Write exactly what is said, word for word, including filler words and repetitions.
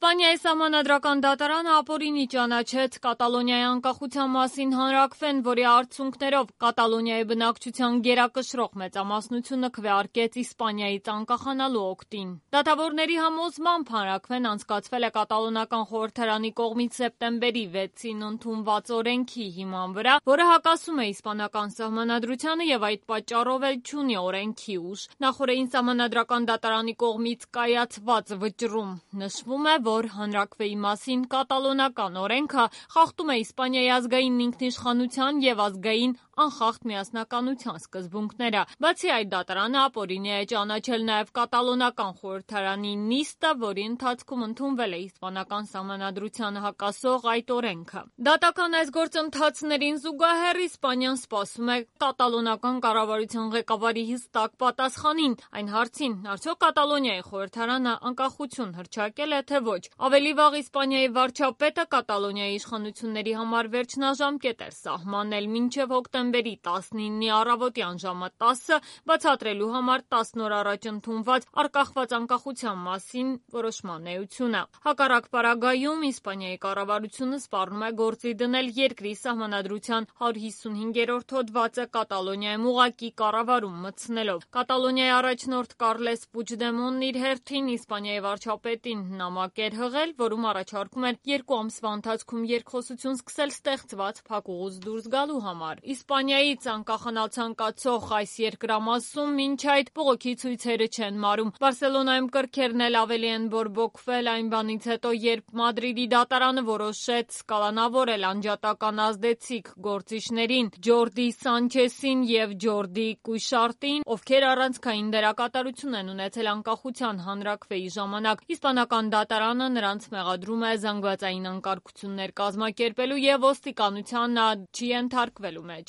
Իսպանիայի սահմանադրական դատարանը ապօրինի ճանաչեց Կատալոնիայի անկախության մասին հանրաքվեն, որի արդյունքներով Կատալոնիայի բնակչության գերակշռող մեծամասնությունը քվեարկեց Իսպանիայից անկախանալու օգտին։ Դատավորների համոզմամբ հանրաքվեն անցկացվել է կատալոնական խորհրդարանի կողմից սեպտեմբերի վեցին ընդունված օրենքի հիման վրա, որը հակասում է իսպանական սահմանադրությանը եւ այդ պատճառով էլ չունի օրենքի ուժ։ Նախօրեին սահմանադրական դատարանի կողմից կայացված վճռում նշվում է, որ հանրաքվեի մասին կատալոնական օրենքը խախտում է Իսպանիայի ազգային ինքնիշխանության եւ ազգային անխախտ միասնականության սկզբունքները։ Բացի այդ, դատարանը ապօրինի է ճանաչել նաեւ կատալոնական խորհրդարանի նիստը, որի ընթացքում ընդունվել է իսպանական սահմանադրությանը հակասող այդ օրենքը։ Դատական այս գործընթացներին զուգահեռ Իսպանիան սպասում է կատալոնական կառավարության ղեկավարի հստակ պատասխանին այն հարցին, արդյոք Կատալոնիայի խորհրդարանը անկախություն հռչակել է, թե ոչ։ Ավելի վաղ Իսպանիայի վարչապետը Կատալոնիայի իշխանությունների համար վերջնաժամկետ էր սահմանել մինչև հոկտեմբերի տասնինի առավոտյան ժամը տասը, բացատրելու համար տասն օր առաջ ընդունված անկախված անկախության մասին որոշման էությունը։ Հակառակ պարագայում Իսպանիայի կառավարությունը սպառնում է գործի դնել երկրի սահմանադրության հարյուր հիսունհինգերորդ հոդվածը Կատալոնիայում ուղղակի կառավարում մտցնելով։ Կատալոնիայի առաջնորդ Կարլես Պուչդեմոնն իր հերթին Իսպանիայի վարչապետին նամակ էր հղել, որում առաջարկում էր երկու ամսվա ընթացքում երկխոսություն սկսել ստեղծված փակուղուց դուրս գալու համար։ Իսպանիայից անկախանալ ցանկացող այս երկրամասում մինչ այդ բողոքի ցույցերը չեն մարում։ Բարսելոնայում կրքերն էլ ավելի են բորբոքվել այն բանից հետո, երբ Մադրիդի դատարանը որոշեց կալանավորել անջատական ազդեցիկ գործիչներին Ջորդի Սանչեսին եւ Ջորդի Կուշարտին, ովքեր առանցքային դերակատարություն են ունեցել անկախության հանրաքվեի ժամանակ։ Իսպանական դատարանը նրանց մեղադրում է զանգվածային անկարգություններ կազմակերպելու եւ ոստիկանության չի ենթարկվելու մեջ։